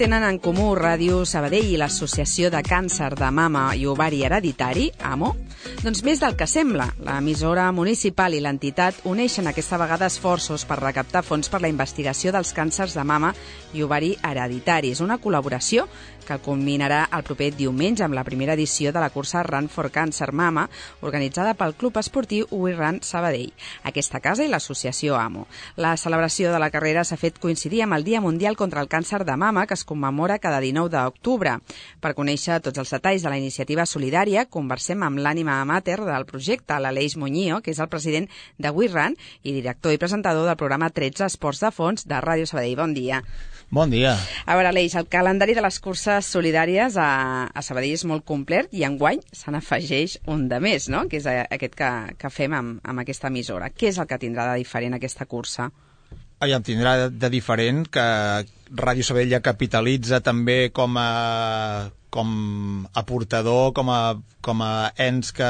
tenen en comú Ràdio Sabadell i l'Associació de Càncer de Mama i Ovari Hereditari, AMO? Doncs més del que sembla. L'emissora municipal i l'entitat uneixen aquesta vegada esforços per recaptar fons per la investigació dels càncers de mama i ovari hereditaris. Una col·laboració que culminarà el proper diumenge amb la primera edició de la cursa Run for Cancer Mama, organitzada pel Club Esportiu We Run Sabadell, aquesta casa i l'associació AMO. La celebració de la carrera s'ha fet coincidir amb el Dia Mundial contra el Càncer de Mama, que es commemora cada 19 d'octubre. Per conèixer tots els detalls de la iniciativa solidària, conversem amb l'ànima amateur del projecte, l'Aleix Muñío, que és el president de We Run i director i presentador del programa 13 Esports de Fons de Ràdio Sabadell. Bon dia. Bon dia. A veure, Aleix, el calendari de les curses solidàries a Sabadell és molt complet i enguany se n'afegeix un de més, no?, que és aquest que fem amb aquesta emissora. Què és el que tindrà de diferent aquesta cursa? Aviam, tindrà de diferent que Ràdio Sabadell ja capitalitza també com a aportador, com a ens que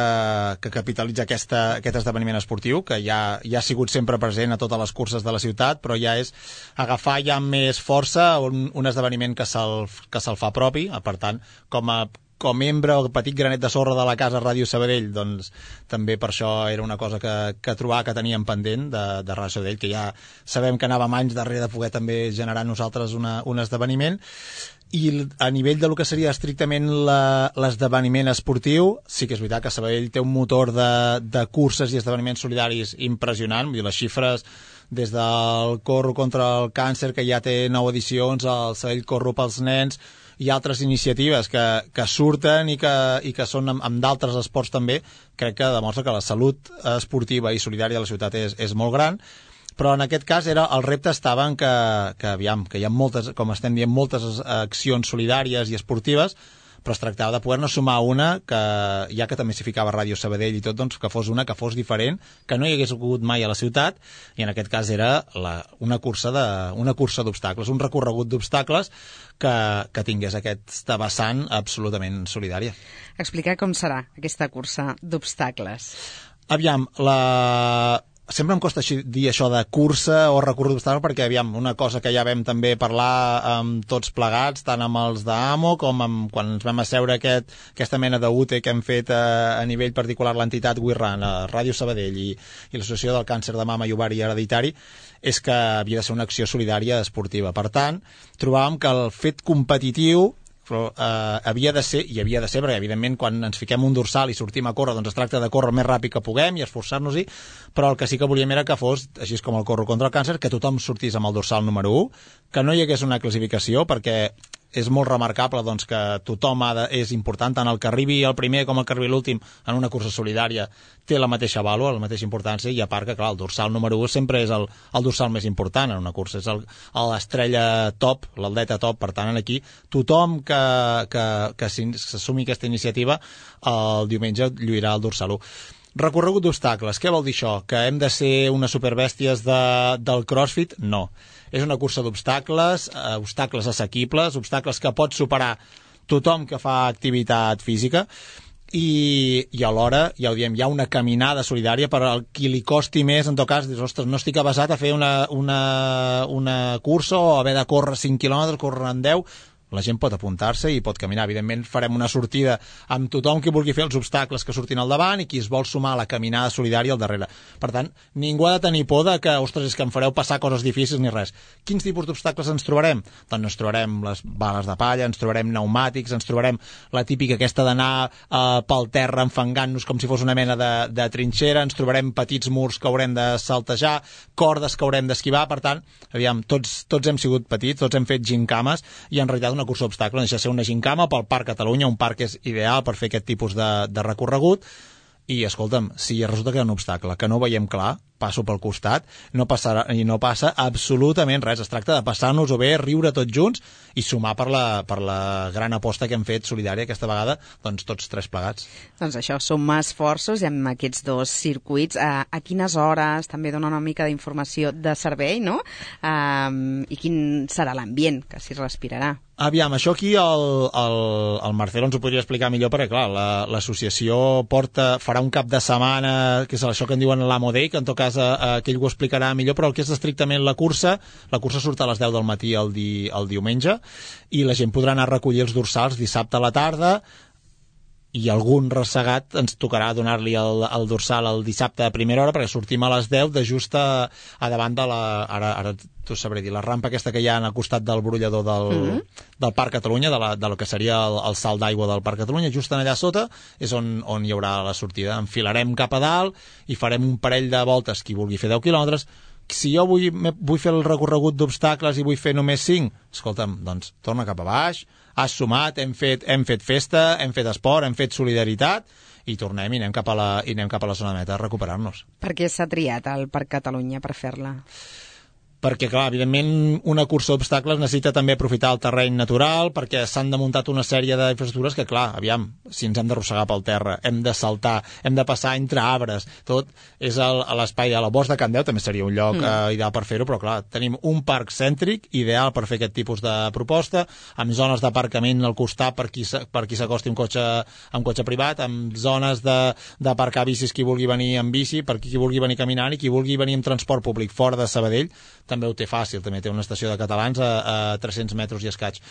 capitalitza aquest esdeveniment esportiu, que ja ha sigut sempre present a totes les curses de la ciutat, però ja és agafar ja amb més força un esdeveniment que se'l fa propi. Per tant, com membre o petit granet de sorra de la casa Ràdio Sabadell, doncs també per això era una cosa que trobava que teníem pendent de Ràdio Sabadell, que ja sabem que anàvem anys darrere de poder també generar nosaltres un esdeveniment. I a nivell de lo que seria estrictament l'esdeveniment esportiu, sí que és veritat que Sabadell té un motor de curses i esdeveniments solidaris impressionant. Vull dir, les xifres des del Corro contra el Càncer, que ja té 9 edicions, el Sabadell Corro pels nens, i altres iniciatives que surten i que són amb d'altres esports també, crec que demostra que la salut esportiva i solidària de la ciutat és molt gran. Però en aquest cas el repte estava en que hi ha moltes, com estem dient, moltes accions solidàries i esportives, però es tractava de poder-ne sumar una que, ja que també s'hi ficava Ràdio Sabadell i tot, doncs que fos una que fos diferent, que no hi hagués hagut mai a la ciutat, i en aquest cas era una cursa d'obstacles, un recorregut d'obstacles que tingués aquesta vessant absolutament solidària. Explicar com serà aquesta cursa d'obstacles. Aviam, sempre em costa dir això de cursa o recorregut d'obstacles, perquè, aviam, una cosa que ja vam també parlar amb tots plegats, tant amb els d'AMO com quan ens vam asseure aquesta mena d'UTE que hem fet a nivell particular l'entitat We Run, a Ràdio Sabadell i l'Associació del Càncer de Mama i Ovari Hereditari, és que havia de ser una acció solidària esportiva. Per tant, trobàvem que el fet competitiu havia de ser, perquè evidentment quan ens fiquem un dorsal i sortim a córrer, doncs es tracta de córrer el més ràpid que puguem i esforçar-nos-hi, però el que sí que volíem era que fos, així com el Corro contra el Càncer, que tothom sortís amb el dorsal número 1, que no hi hagués una classificació, perquè és molt remarcable doncs, que tothom és important, tant el que arribi el primer com el que arribi l'últim en una cursa solidària té la mateixa vàlua, la mateixa importància, i a part que, clar, el dorsal número 1 sempre és el dorsal més important en una cursa, és l'estrella top, l'atleta top. Per tant, aquí tothom que s'assumi aquesta iniciativa el diumenge lluirà el dorsal 1. Recorregut d'obstacles, què vol dir això? Que hem de ser unes superbèsties del CrossFit? No. És una cursa d'obstacles, obstacles assequibles, obstacles que pot superar tothom que fa activitat física, i alhora, ja ho diem, hi ha una caminada solidària per al qui li costi més, en tot cas, dius, ostres, no estic avesat a fer una cursa o haver de córrer 5 quilòmetres, córrer en 10. La gent pot apuntar-se i pot caminar. Evidentment farem una sortida amb tothom que vulgui fer els obstacles que surtin al davant i qui es vol sumar a la caminada solidària al darrere. Per tant, ningú ha de tenir por de que, ostres, és que em fareu passar coses difícils ni res. Quins tipus d'obstacles ens trobarem? Doncs ens trobarem les bales de palla, ens trobarem pneumàtics, ens trobarem la típica aquesta d'anar pel terra enfangant-nos com si fos una mena de trinxera, ens trobarem petits murs que haurem de saltejar, cordes que haurem d'esquivar. Per tant, aviam, tots hem sigut petits, tots hem fet gincames, i en realitat una cursa d'obstacles no deixa de ser una gincama pel Parc Catalunya, un parc que és ideal per fer aquest tipus de recorregut. I, escolta'm, si resulta que hi ha un obstacle que no veiem clar, passo pel costat, no passa absolutament res. Es tracta de passar-nos-ho bé, riure tots junts i sumar per la gran aposta que hem fet solidària aquesta vegada, doncs tots tres plegats. Doncs això, sumar esforços amb aquests dos circuits. A quines hores també dona una mica d'informació de servei, no? I quin serà l'ambient que s'hi respirarà? Aviam, això aquí el Marcelo ens ho podria explicar millor, perquè clar, l'associació farà un cap de setmana, que és això que en diuen l'Amo Day, que en tot cas cas que ell ho explicarà millor, però el que és estrictament la cursa surt a les 10 del matí el diumenge, i la gent podrà anar a recollir els dorsals dissabte a la tarda, i algun ressegat ens tocarà donar-li el dorsal el dissabte a primera hora, perquè sortim a les 10 de just a davant de ara t'ho sabré dir, la rampa aquesta que hi ha al costat del brollador del Parc Catalunya, de lo que seria el salt d'aigua del Parc Catalunya, just allà sota és on hi haurà la sortida. Enfilarem cap a dalt i farem un parell de voltes, qui vulgui fer 10 quilòmetres. Si jo vull fer el recorregut d'obstacles i vull fer només 5, escolta'm, doncs torna cap a baix, has sumat, hem fet festa, hem fet esport, hem fet solidaritat, i tornem i anem cap a la zona de meta a recuperar-nos. Per què s'ha triat el Parc Catalunya per fer-la? Perquè, clar, evidentment, una cursa d'obstacles necessita també aprofitar el terreny natural, perquè s'han de muntar una sèrie d'infraestructures que, clar, aviam, si ens hem d'arrossegar pel terra, hem de saltar, hem de passar entre arbres, tot és a l'espai, a la Bosc de Can Deu també seria un lloc ideal per fer-ho, però, clar, tenim un parc cèntric ideal per fer aquest tipus de proposta, amb zones d'aparcament al costat per qui s'acosti amb cotxe privat, amb zones d'aparcar bicis qui vulgui venir amb bici, per qui vulgui venir caminant, i qui vulgui venir amb transport públic fora de Sabadell també ho té fàcil, també té una estació de catalans a 300 metres i escaig,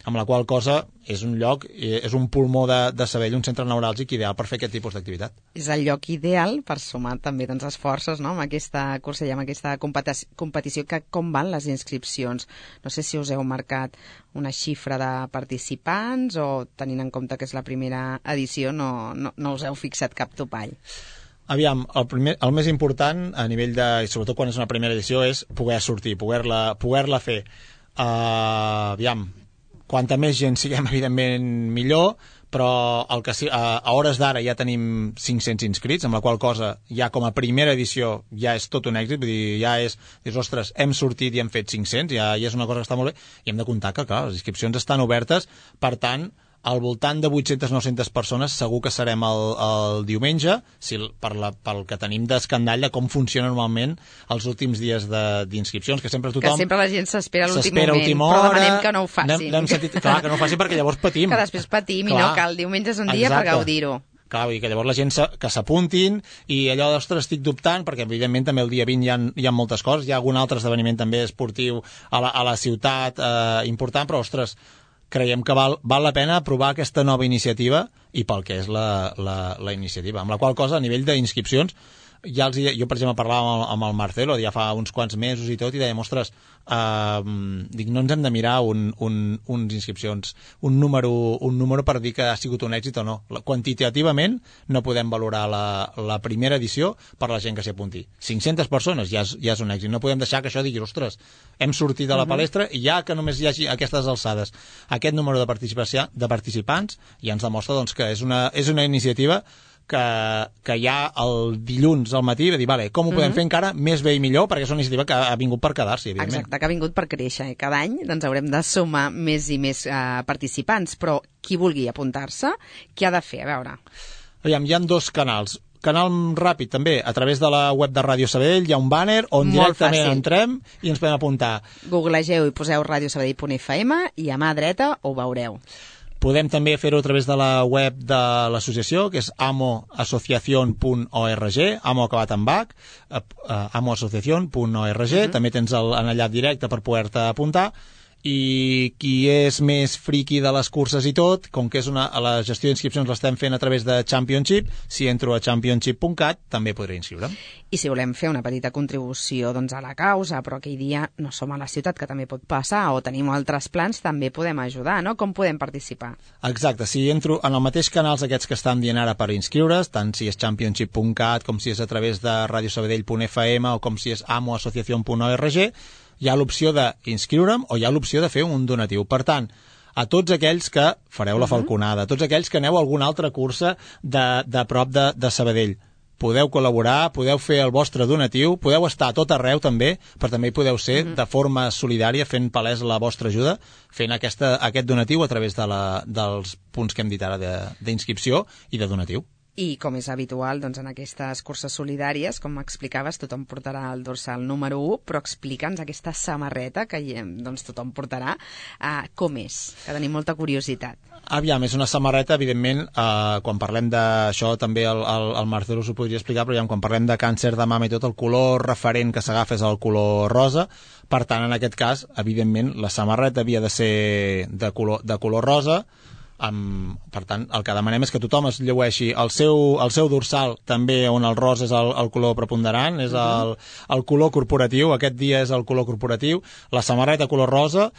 amb la qual cosa és un lloc, és un pulmó de Sabadell, un centre neuràlgic ideal per fer aquest tipus d'activitat. És el lloc ideal per sumar també esforços, no?, amb aquesta cursa i amb aquesta competició. Com van les inscripcions? No sé si us heu marcat una xifra de participants o, tenint en compte que és la primera edició, no us heu fixat cap topall. Aviam, el més important a nivell i sobretot quan és una primera edició, és poder sortir, poder-la fer. Aviam, quanta més gent siguem, evidentment, millor, però a hores d'ara ja tenim 500 inscrits, amb la qual cosa ja com a primera edició ja és tot un èxit, vull dir, dius, ostres, hem sortit i hem fet 500, ja és una cosa que està molt bé, i hem de comptar que, clar, les inscripcions estan obertes, per tant, al voltant de 800-900 persones segur que serem el diumenge, pel que tenim d'escandall de com funciona normalment els últims dies d'inscripcions, que sempre tothom... Que sempre la gent s'espera a l'últim moment, però demanem que no ho facin. N'hem sentit, clar, que no ho facin perquè llavors patim. Que després patim, clar. I no, que el diumenge és un dia per gaudir-ho. Clar, vull dir que llavors la gent que s'apuntin, i allò, ostres, estic dubtant, perquè evidentment també el dia 20 hi ha moltes coses, hi ha algun altre esdeveniment també esportiu a la ciutat important, però, ostres, creiem que val la pena provar aquesta nova iniciativa, i pel que és la iniciativa. Amb la qual cosa, a nivell d'inscripcions, jo, per exemple, parlava amb el Marcelo ja fa uns quants mesos i tot, i dèiem, ostres, no ens hem de mirar uns inscripcions, un número per dir que ha sigut un èxit o no. Quantitativament no podem valorar la primera edició per la gent que s'hi apunti. 500 persones ja és un èxit. No podem deixar que això digui, ostres, hem sortit de la palestra i ja que només hi hagi aquestes alçades aquest número de participants, ja ens demostra, doncs, que és una iniciativa que ja el dilluns al matí va dir, vale, com ho podem fer encara més bé i millor, perquè és una iniciativa que ha vingut per quedar-s'hi, evidentment. Exacte, que ha vingut per créixer. Cada any haurem de sumar més i més participants, però qui vulgui apuntar-se, què ha de fer? A veure. Aviam, hi ha 2 canals. Canal ràpid, també, a través de la web de Ràdio Sabadell hi ha un banner on directament entrem i ens podem apuntar. Googlegeu i poseu radiosabadell.fm i a mà dreta ho veureu. Podem també fer-ho a través de la web de l'associació, que és amoasociacion.org, amo acabat amb H, amoasociacion.org, també tens l'enllaç directe per poder-te apuntar, i qui és més friqui de les curses i tot, com que és la gestió d'inscripcions l'estem fent a través de Championship, si entro a championship.cat també podré inscriure'm. I si volem fer una petita contribució a la causa, però aquell dia no som a la ciutat, que també pot passar, o tenim altres plans, també podem ajudar, no? Com podem participar? Exacte, si entro en el mateix canals aquests que estan dient ara per inscriure's, tant si és championship.cat, com si és a través de radiosabadell.fm o com si és amoasociacion.org, hi ha l'opció d'inscriure'm o hi ha l'opció de fer un donatiu. Per tant, a tots aquells que fareu la falconada, a tots aquells que aneu a alguna altra cursa de prop de Sabadell, podeu col·laborar, podeu fer el vostre donatiu, podeu estar a tot arreu també, però també hi podeu ser de forma solidària fent palès la vostra ajuda, fent aquest donatiu a través dels punts que hem dit ara d'inscripció i de donatiu. I, com és habitual, doncs, en aquestes curses solidàries, com explicaves, tothom portarà el dorsal número 1, però explica'ns aquesta samarreta que doncs, tothom portarà, com és, que tenim molta curiositat. Aviam, és una samarreta, evidentment, quan parlem d'això, també el Marcelo s'ho podria explicar, però quan parlem de càncer de mama i tot, el color referent que s'agafa és el color rosa. Per tant, en aquest cas, evidentment, la samarreta havia de ser de color rosa. Per tant, el que demanem és que tothom es llueixi el seu dorsal, també on el rosa és el color preponderant, és el color corporatiu. Aquest dia és el color corporatiu, la samarreta color rosa,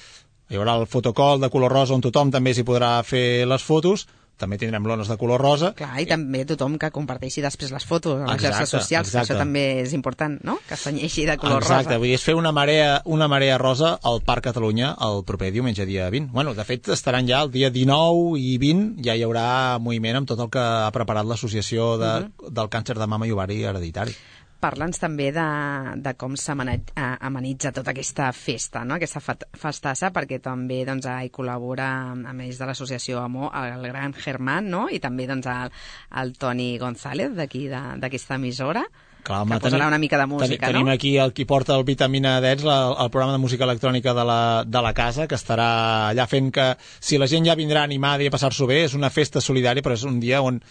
hi haurà el fotocall de color rosa on tothom també s'hi podrà fer les fotos, també tindrem lones de color rosa. Clar, i també tothom que comparteixi després les fotos a les xarxes socials, que això també és important, no?, que es tenyeixi de color rosa. Exacte, vull dir, és fer una marea rosa al Parc Catalunya el proper diumenge, dia 20. Bueno, de fet, estaran ja el dia 19 i 20, ja hi haurà moviment amb tot el que ha preparat l'Associació del Càncer de Mama i Ovari Hereditari. Parla'ns també de com s'amenitza tota aquesta festa, no?, aquesta festassa, perquè també doncs, hi col·labora, a més de l'associació AMO, el gran Germán, no?, i també doncs, el Toni González, d'aquí, d'aquesta emissora, clar, que posarà una mica de música, tenim aquí el qui porta el Vitamina Dets, el programa de música electrònica de la casa, que estarà allà fent que, si la gent ja vindrà animada i a passar-s'ho bé, és una festa solidària, però és un dia on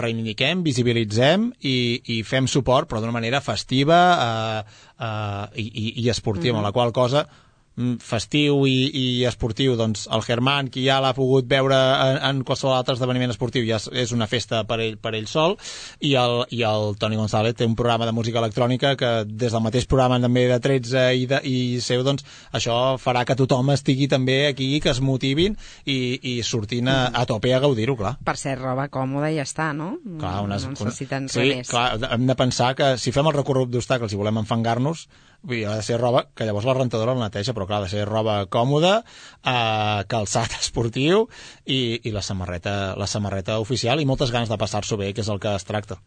reivindiquem, visibilitzem i fem suport, però d'una manera festiva i esportiva, amb la qual cosa festiu i esportiu, doncs el Germán, qui ja l'ha pogut veure en qualsevol altre esdeveniment esportiu, ja és una festa per ell sol, i el Toni González té un programa de música electrònica que des del mateix programa també de 13 i seu, doncs això farà que tothom estigui també aquí, que es motivin i sortint a tope a gaudir-ho, clar. Per ser roba còmoda i ja està, no? Clar, no necessiten res més. Clar, hem de pensar que si fem el recorregut d'obstacles i volem enfangar-nos, vull dir, ha de ser roba que llavors la rentadora la neteja, però clar, ha de ser roba còmoda, calçat esportiu i la samarreta oficial, i moltes ganes de passar-s'ho bé, que és el que es tracta.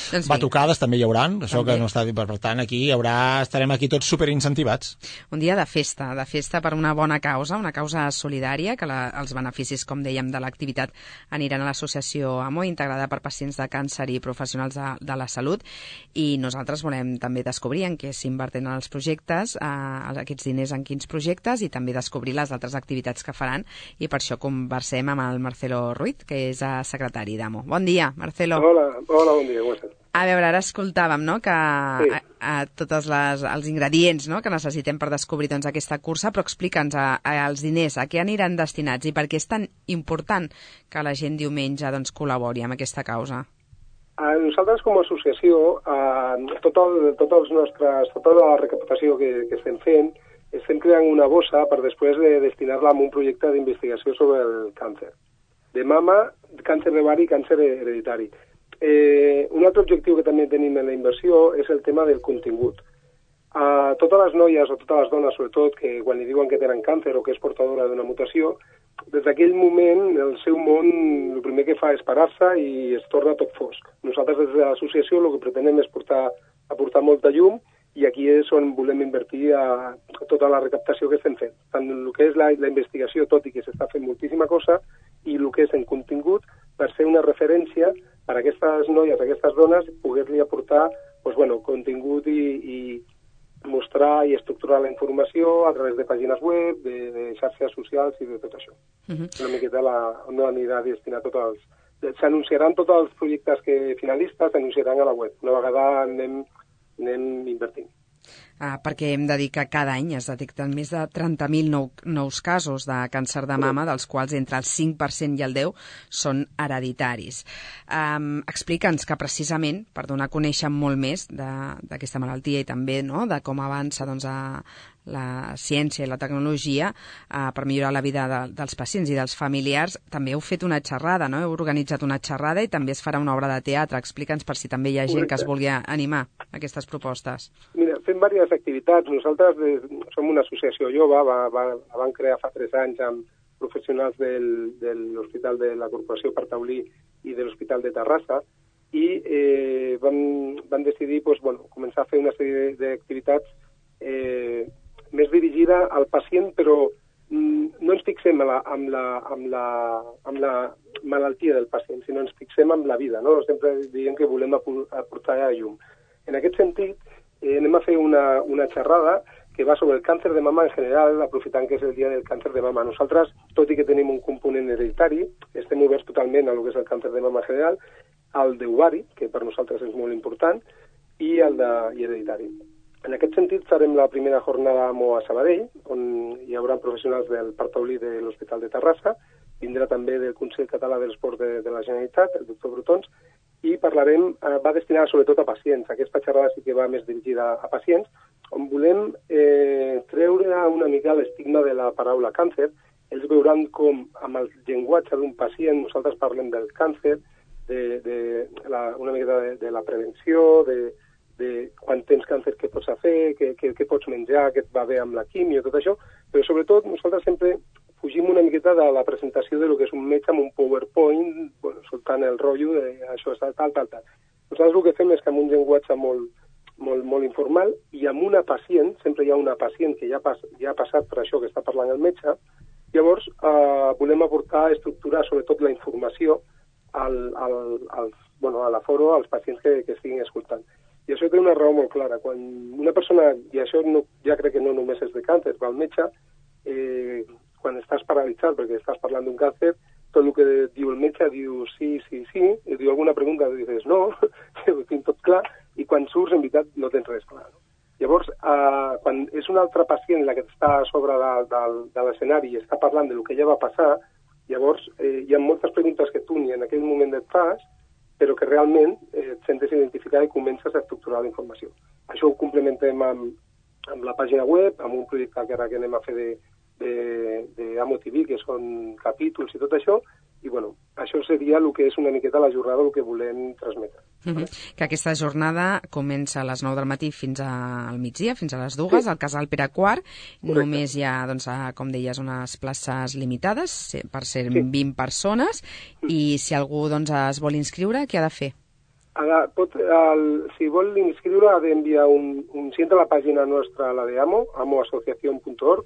Doncs batucades també hi hauran, això també. Que no està dit, per tant aquí estarem aquí tots superincentivats. Un dia de festa per una bona causa, una causa solidària, que els beneficis, com dèiem, de l'activitat aniran a l'associació AMO, integrada per pacients de càncer i professionals de la salut, i nosaltres volem també descobrir en què s'inverteixen els projectes, aquests diners en quins projectes, i també descobrir les altres activitats que faran, i per això conversem amb el Marcelo Ruiz, que és secretari d'AMO. Bon dia, Marcelo. Hola, bon dia, com estàs? A veure, ara escoltàvem, no?, que tots els ingredients, no?, que necessitem per descobrir doncs, aquesta cursa, però explica'ns els diners, a què aniran destinats i per què és tan important que la gent diumenge doncs, col·labori amb aquesta causa. Nosaltres com a associació, tota la recaptació que estem fent, estem creant una bossa per després de destinar-la a un projecte d'investigació sobre el càncer de mama, càncer d'ovari i càncer hereditari. Un altre objectiu que també tenim en la inversió és el tema del contingut. Totes les noies o totes les dones, sobretot, que quan li diuen que tenen càncer o que és portadora d'una mutació, des d'aquell moment el seu món el primer que fa és parar-se i es torna tot fosc. Nosaltres des de l'associació el que pretenem és aportar molta llum, i aquí és on volem invertir tota la recaptació que estem fent. Tant el que és la investigació, tot i que s'està fent moltíssima cosa, i el que és en contingut, per ser una referència per a aquestes noies, a aquestes dones, poder-li aportar contingut i mostrar i estructurar la informació a través de pàgines web, de xarxes socials i de tot això. Una miqueta on anirà destinat tots els... S'anunciaran tots els projectes finalistes, s'anunciaran a la web. Una vegada anem invertint. Perquè hem de dir que cada any es detecten més de 30.000 nous casos de càncer de mama, dels quals entre el 5% i el 10% són hereditaris. Explica'ns que precisament, per donar a conèixer molt més d'aquesta malaltia i també de com avança la ciència i la tecnologia per millorar la vida dels pacients i dels familiars, també heu fet una xerrada, no? Heu organitzat una xerrada i també es farà una obra de teatre. Explica'ns per si també hi ha gent que es vulgui animar a aquestes propostes. Mira, fem diverses activitats. Nosaltres som una associació jove, la vam crear fa 3 anys amb professionals de l'Hospital de la Corporació per Taulí i de l'Hospital de Terrassa, i vam decidir començar a fer una sèrie d'activitats més dirigida al pacient, però no ens fixem amb la malaltia del pacient, sinó ens fixem amb la vida, no? Sempre diem que volem aportar a llum. En aquest sentit, anem a fer una xerrada que va sobre el càncer de mama en general, aprofitant que és el dia del càncer de mama. Nosaltres, tot i que tenim un component hereditari, estem oberts totalment a lo que és el càncer de mama en general, al d'ovari, que per nosaltres és molt important, i el hereditari. En aquest sentit, farem la primera jornada AMO a Sabadell, on hi haurà professionals del part taulí de l'Hospital de Terrassa, vindrà també del Consell Català de l'Esport de la Generalitat, el doctor Brutons, i parlarem, va destinada sobretot a pacients. Aquesta xerrada sí que va més dirigida a pacients, on volem treure una mica l'estigma de la paraula càncer. Ells veuran com, amb el llenguatge d'un pacient, nosaltres parlem del càncer, una mica de la prevenció, de quan tens càncer què pots fer, què pots menjar, què et va bé amb la quimio, tot això, però sobretot nosaltres sempre fugim una miqueta de la presentació de lo que és un metge amb un PowerPoint, bueno, soltant el rotllo de això és tal. Nosaltres el que fem és que amb un llenguatge molt informal i amb una pacient, sempre hi ha una pacient que ja ha passat per això que està parlant el metge, llavors volem aportar, estructurar sobretot la informació a l'aforo, als pacients que estiguin escoltant. I això té una raó molt clara. Quan una persona, i això ja crec que no només és de càncer, va al metge, quan estàs paralitzat perquè estàs parlant d'un càncer, tot el que diu el metge diu sí, i diu alguna pregunta i dius no, ho tinc tot clar, i quan surts en veritat no tens res clar. No? Llavors, quan és un altre pacient la que està a sobre de l'escenari i està parlant del que ja va passar, llavors hi ha moltes preguntes que tu ni en aquell moment et fas, però que realment et sentes identificar i comences a estructurar la informació. Això ho complementem amb la pàgina web, amb un projecte que ara que anem a fer d'Amo TV, que són capítols i tot això, i bueno, això seria el que és una miqueta la jornada, el que volem transmetre. Que aquesta jornada comença a les 9 del matí fins al migdia, fins a les 2, al Casal Pere IV. Només hi ha, doncs, com deies, unes places limitades per ser 20 persones, i si algú es vol inscriure, què ha de fer? Si vol inscriure ha d'enviar si entra a la pàgina nostra, la de AMO, amoasociacion.org,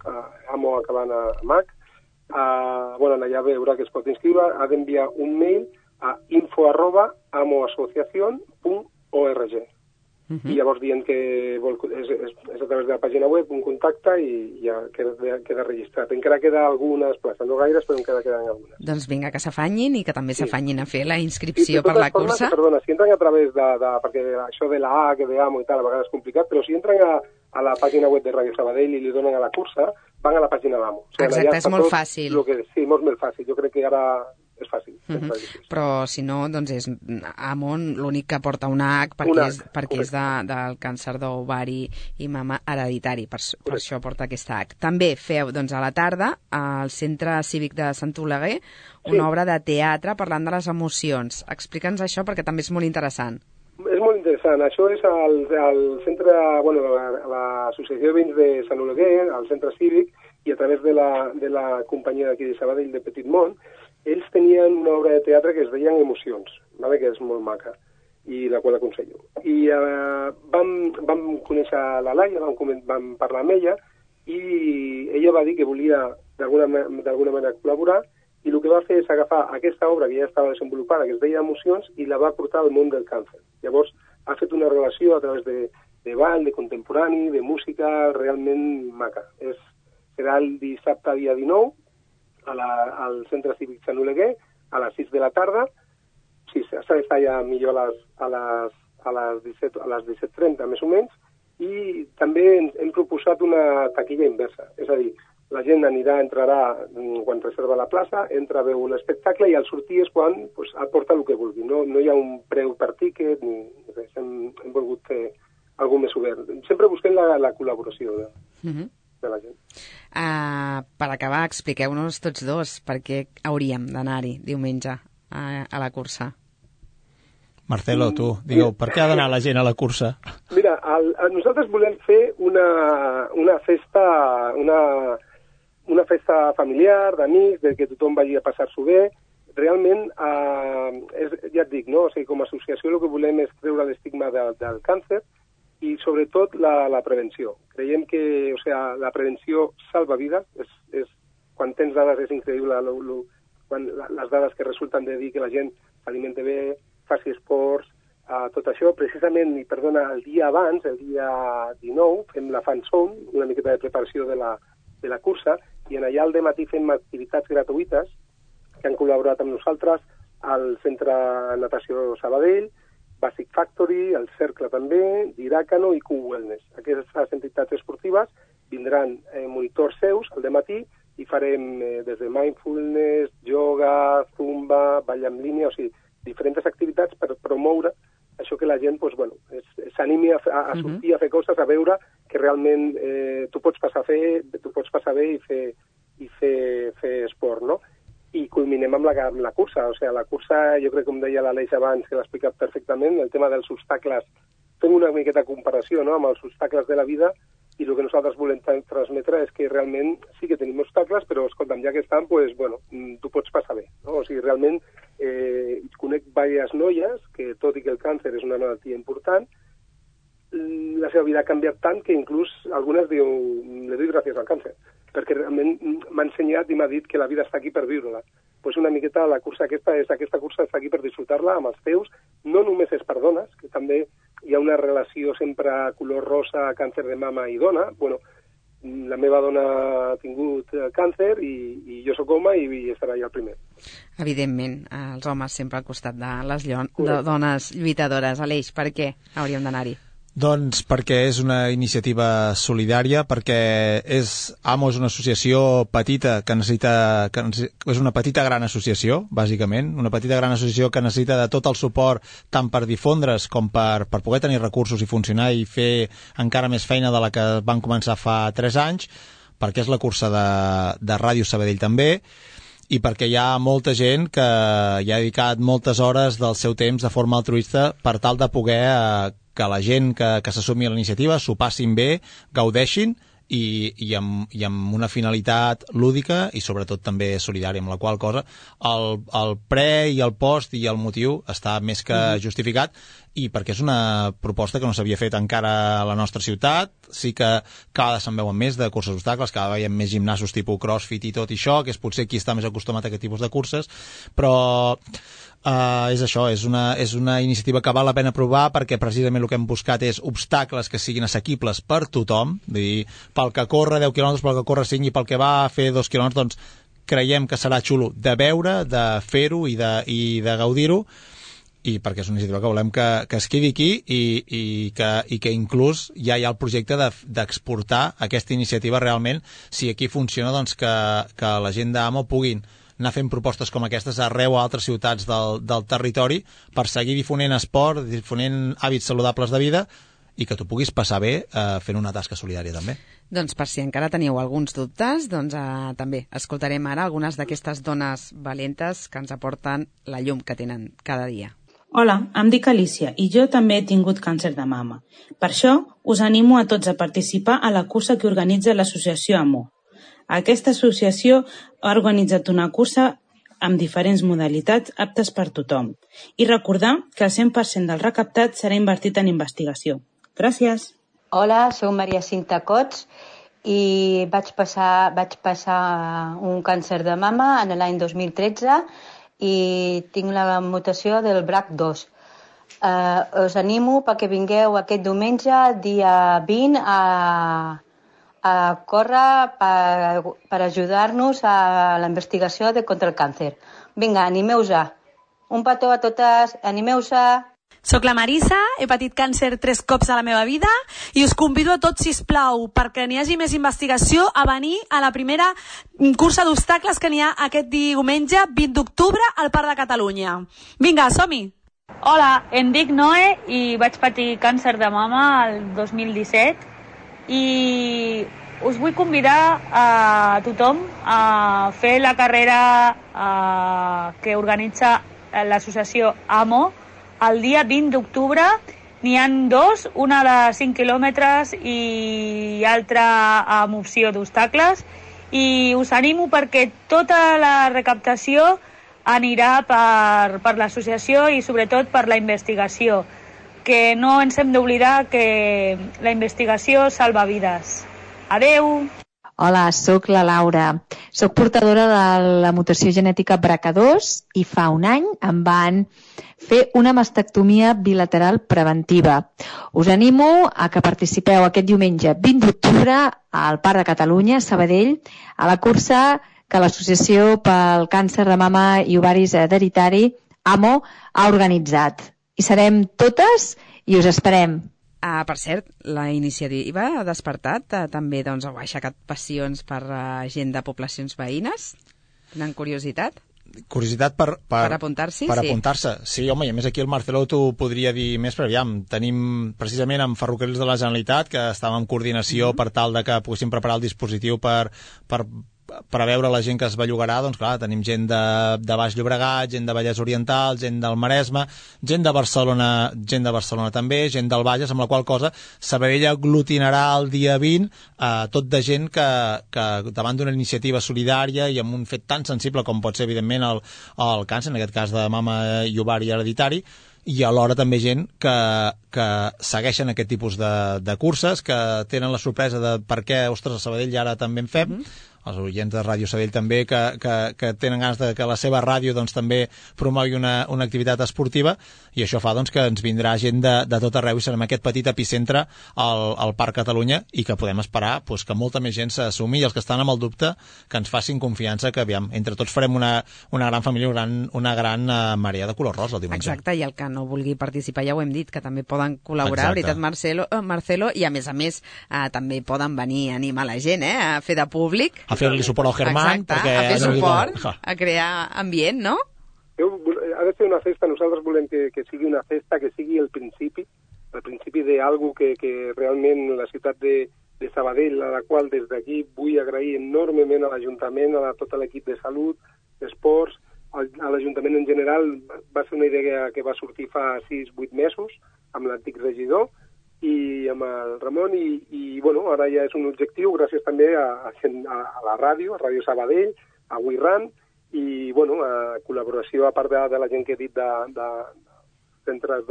AMO acabant a MAC, allà veurà que es pot inscriure, ha d'enviar un mail a info@amoasociacion.org. I llavors dient que és a través de la pàgina web, un contacte, i ja queda registrat. Encara queda algunes places, no gaires, però encara queden algunes. Doncs vinga, que s'afanyin i que també s'afanyin a fer la inscripció per la cursa. Perdona, si entren a través perquè això de la A, que de AMO i tal, a vegades és complicat, però si entren a la pàgina web de Ràdio Sabadell i li donen a la cursa, van a la pàgina d'AMO. Exacte, és molt fàcil. Sí, molt fàcil. Jo crec que ara és fàcil. Però si no, doncs és AMO l'únic que porta una H perquè és del càncer d'ovari i mama hereditari, per això porta aquesta H. També feu, doncs, a la tarda, al Centre Cívic de Sant Oleguer, una obra de teatre parlant de les emocions. Explica'ns això perquè també és molt interessant. És molt interessant. Això és al centre, l'Associació de Veïns de Sant Oleguer, al Centre Cívic, i a través de la companyia d'aquí de Sabadell, de Petit Mont, ells tenien una obra de teatre que es deien Emocions, que és molt maca, i la qual aconsello. I vam conèixer la Laia, vam parlar amb ella, i ella va dir que volia d'alguna manera col·laborar, i el que va fer és agafar aquesta obra que ja estava desenvolupada, que es deia Emocions, i la va portar al món del càncer. Llavors, ha fet una relació a través de ball, de contemporani, de música, realment maca. Serà el dissabte, dia 19, al Centre Cívic Sant Oleguer, a les 6 de la tarda. Sí, s'ha d'estar ja millor a les 17:30, més o menys, i també hem proposat una taquilla inversa, és a dir, la gent entrarà quan reserva la plaça, entra a veure l'espectacle i al sortir és quan aporta el que vulgui. No hi ha un preu per tíquet, ni res. Hem volgut fer alguna més obert. Sempre busquem la col·laboració de la gent. Per acabar, expliqueu-nos tots dos per què hauríem d'anar-hi diumenge a la cursa. Marcelo, tu, digueu, per què ha d'anar la gent a la cursa? Mira, nosaltres volem fer una festa familiar, d'amics, de que tothom vagi a passar-s'ho bé. Realment, ja et dic, no? O sigui, com a associació el que volem és treure l'estigma del càncer i sobretot la prevenció. Creiem que la prevenció salva vides, és quan tens dades és increïble les dades que resulten de dir que la gent s'alimenta bé, faci esports, tot això. Precisament, i perdona, el dia abans, el dia 19, fem la fan zone, una miqueta de preparació de la cursa, i en allà al dematí fem activitats gratuïtes que han col·laborat amb nosaltres al Centre Natació Sabadell, Basic Factory, el Cercle també, Diràcano i Q-Wellness. Aquestes entitats esportives vindran monitors seus al dematí i farem des de mindfulness, yoga, zumba, ball en línia, o sigui, diferents activitats per promoure això que la gent s'animi a sortir a fer coses, a veure que realment tu pots passar bé i fer esport, no? I culminem amb la cursa. O sigui, la cursa, jo crec, com deia l'Aleix abans, que l'ha explicat perfectament, el tema dels obstacles, fem una miqueta comparació, no?, amb els obstacles de la vida, i el que nosaltres volem transmetre és que realment sí que tenim obstacles, però, escolta'm, ja que estan, tu pots passar bé, no? O sigui, realment conec diverses noies que, tot i que el càncer és una malaltia important, la seva vida ha canviat tant que inclús algunes diuen, le doy gràcies al càncer, perquè realment m'ha ensenyat i m'ha dit que la vida està aquí per viure-la. Pues una miqueta la cursa aquesta cursa està aquí per disfrutar-la amb els teus, no només és per dones, que també hi ha una relació sempre color rosa, càncer de mama i dona. Bueno, la meva dona ha tingut càncer i jo sóc home i estarà allà el primer. Evidentment, els homes sempre al costat de les dones lluitadores. Aleix, per què hauríem d'anar-hi? Doncs perquè és una iniciativa solidària, perquè AMO és una associació petita és una petita gran associació, bàsicament, una petita gran associació que necessita de tot el suport tant per difondre's com per poder tenir recursos i funcionar i fer encara més feina de la que van començar fa 3 anys, perquè és la cursa de Ràdio Sabadell també, i perquè hi ha molta gent que hi ha dedicat moltes hores del seu temps de forma altruista per tal de poder que la gent que s'assumi a la iniciativa s'ho passin bé, gaudeixin i amb una finalitat lúdica i sobretot també solidària, amb la qual cosa el pre i el post i el motiu està més que justificat, i perquè és una proposta que no s'havia fet encara a la nostra ciutat. Sí que cada vegada se'n veuen més de curses d'obstacles, cada vegada hi ha més gimnasos tipus crossfit i tot això, que és potser qui està més acostumat a aquest tipus de curses, però és això, és una iniciativa que val la pena provar, perquè precisament el que hem buscat és obstacles que siguin assequibles per tothom, vull dir, pel que corre 10 quilòmetres, pel que corre 5 i pel que va a fer 2 quilòmetres, doncs creiem que serà xulo de veure, de fer-ho i de gaudir-ho, i perquè és una iniciativa que volem que es quedi aquí i que inclús ja hi ha el projecte d'exportar aquesta iniciativa realment, si aquí funciona, doncs que la gent d'AMO puguin anar fent propostes com aquestes arreu a altres ciutats del territori per seguir difonent esport, difonent hàbits saludables de vida i que tu puguis passar bé fent una tasca solidària també. Doncs per si encara teniu alguns dubtes, doncs també escoltarem ara algunes d'aquestes dones valentes que ens aporten la llum que tenen cada dia. Hola, em dic Alicia i jo també he tingut càncer de mama. Per això us animo a tots a participar a la cursa que organitza l'associació AMO. Aquesta associació ha organitzat una cursa amb diferents modalitats aptes per tothom. I recordar que el 100% del recaptat serà invertit en investigació. Gràcies. Hola, soc Maria Cinta Cots i vaig passar un càncer de mama en l'any 2013 i tinc la mutació del BRCA2. Us animo perquè vingueu aquest diumenge, dia 20, a córrer per ajudar-nos a la investigació contra el càncer. Vinga, animeu-se. Un petó a totes, animeu-se. Soc la Marisa, he patit càncer 3 cops a la meva vida i us convido a tots, sisplau, perquè n'hi hagi més investigació, a venir a la primera cursa d'obstacles que n'hi ha aquest diumenge 20 d'octubre al Parc de Catalunya. Vinga, som-hi! Hola, em dic Noe i vaig patir càncer de mama el 2017 i us vull convidar a tothom a fer la carrera que organitza l'associació AMO. El dia 20 d'octubre n'hi ha 2, una de 5 quilòmetres i altra amb opció d'obstacles. I us animo perquè tota la recaptació anirà per l'associació i sobretot per la investigació, que no ens hem d'oblidar que la investigació salva vides. Adeu! Hola, sóc la Laura. Sóc portadora de la mutació genètica BRCA2 i fa un any em van fer una mastectomia bilateral preventiva. Us animo a que participeu aquest diumenge 20 d'octubre al Parc de Catalunya, Sabadell, a la cursa que l'Associació pel Càncer de Mama i Ovaris Hereditari, AMO, ha organitzat. Hi serem totes i us esperem. Per cert, la iniciativa ha despertat també, doncs, ha aixecat passions per gent de poblacions veïnes? Tenen curiositat? Curiositat per apuntar-s'hi? Per apuntar-se, sí, home, i a més aquí el Marcelo t'ho podria dir més, però aviam, tenim precisament amb Ferrocarrils de la Generalitat, que estàvem en coordinació per tal de que poguéssim preparar el dispositiu per a veure la gent que es bellugarà. Doncs clar, tenim gent de Baix Llobregat, gent de Vallès Oriental, gent del Maresme, gent de Barcelona també, gent del Bages, amb la qual cosa Sabadell aglutinarà el dia 20 tot de gent que davant d'una iniciativa solidària i amb un fet tan sensible com pot ser evidentment el càncer, en aquest cas de mama i ovari hereditari, i alhora també gent que segueixen aquest tipus de curses, que tenen la sorpresa de per què, ostres, a Sabadell ara també en fem, els oients de Ràdio Sabadell també, que tenen ganes de que la seva ràdio doncs, també promogui una activitat esportiva, i això fa doncs, que ens vindrà gent de tot arreu i serem aquest petit epicentre al Parc Catalunya, i que podem esperar doncs, que molta més gent s'assumi, i els que estan amb el dubte que ens facin confiança, que aviam, entre tots farem una gran família, una gran marea de color rosa el diumenge. Exacte, i el que no vulgui participar ja ho hem dit, que també poden col·laborar, veritat, Marcelo, i a més també poden venir a animar la gent, a fer de públic, a fer-li suport al Germán. Exacte, a fer suport, a crear ambient, no? Ha de ser una festa, nosaltres volem que sigui una festa, que sigui el principi d'algú que realment la ciutat de Sabadell, a la qual des d'aquí vull agrair enormement a l'Ajuntament, a tot l'equip de salut, d'esports, a l'Ajuntament en general. Va ser una idea que va sortir fa 6-8 mesos amb l'antic regidor i amb el Ramon, i bueno, ara ja és un objectiu gràcies també a la ràdio, a Ràdio Sabadell, a WeRun, i bueno, a col·laboració a part de la gent que he dit de centres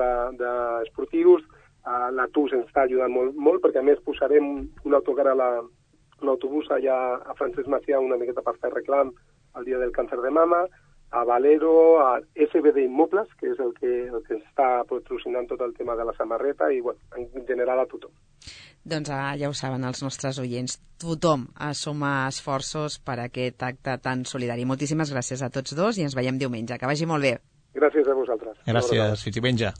esportius. La TUS ens està ajudant molt, perquè a més posarem un autocar a l'autobús allà a Francesc Macià una miqueta per fer reclam al dia del càncer de mama, a Valero, a SBD Immobles, que és el que està patrocinant tot el tema de la samarreta, i bueno, en general a tothom. Doncs ja ho saben els nostres oients, tothom suma esforços per aquest acte tan solidari. Moltíssimes gràcies a tots dos i ens veiem diumenge. Que vagi molt bé. Gràcies a vosaltres. Gràcies, fins diumenge.